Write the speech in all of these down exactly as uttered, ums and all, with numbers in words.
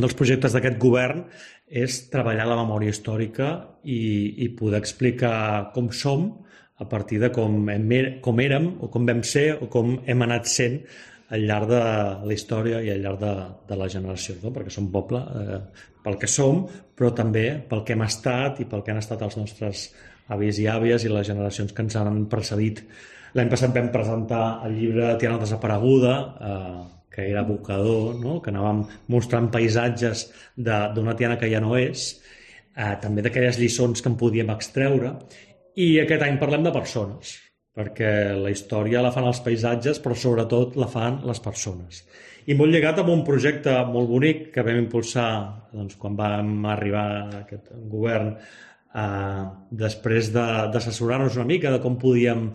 un dels projectes d'aquest govern és treballar la memòria històrica i, i poder explicar com som a partir de com, hem, com érem o com vam ser o com hem anat sent al llarg de la història i al llarg de, de la generació, no? Perquè som poble eh, pel que som, però també pel que hem estat i pel que han estat els nostres avis i àvies i les generacions que ens han precedit. L'any passat vam presentar el llibre Tiana desapareguda, eh, que era evocador, no? Que anàvem mostrant paisatges d'una Tiana que ja no és, eh, també d'aquelles lliçons que en podíem extreure, i aquest any parlem de persones, perquè la història la fan els paisatges, però sobretot la fan les persones. I molt lligat amb un projecte molt bonic que vam impulsar doncs, quan vam arribar a aquest govern, eh, després d'assessorar-nos una mica de com podíem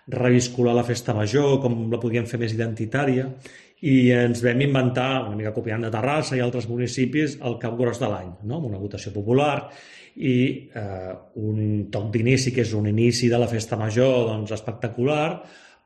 reviscular la festa major, com la podíem fer més identitària, i ens vam inventar, una mica copiant de Terrassa i altres municipis, el Cap Gros de l'any, no? Amb una votació popular i eh, un toc d'inici, que és un inici de la festa major doncs, espectacular,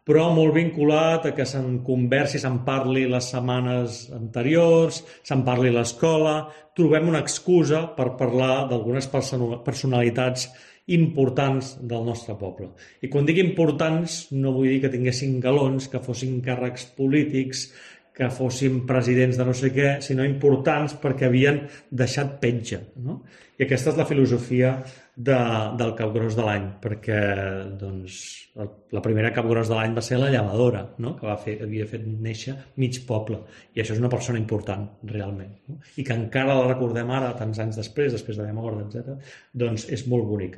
però molt vinculat a que se'n conversi, se'n parli les setmanes anteriors, se'n parli a l'escola. Trobem una excusa per parlar d'algunes personalitats importants del nostre poble. I quan dic importants no vull dir que tinguessin galons, que fossin càrrecs polítics, que fossin presidents de no sé què, sinó importants perquè havien deixat petja, no? I aquesta és la filosofia de, del Cap Gros de l'any, perquè doncs, la primera Cap Gros de l'any va ser la llevadora, no? Que va fer, havia fet néixer mig poble, i això és una persona important, realment, no? I que encara la recordem ara, tants anys després, després de la mort, etcètera, doncs és molt bonic.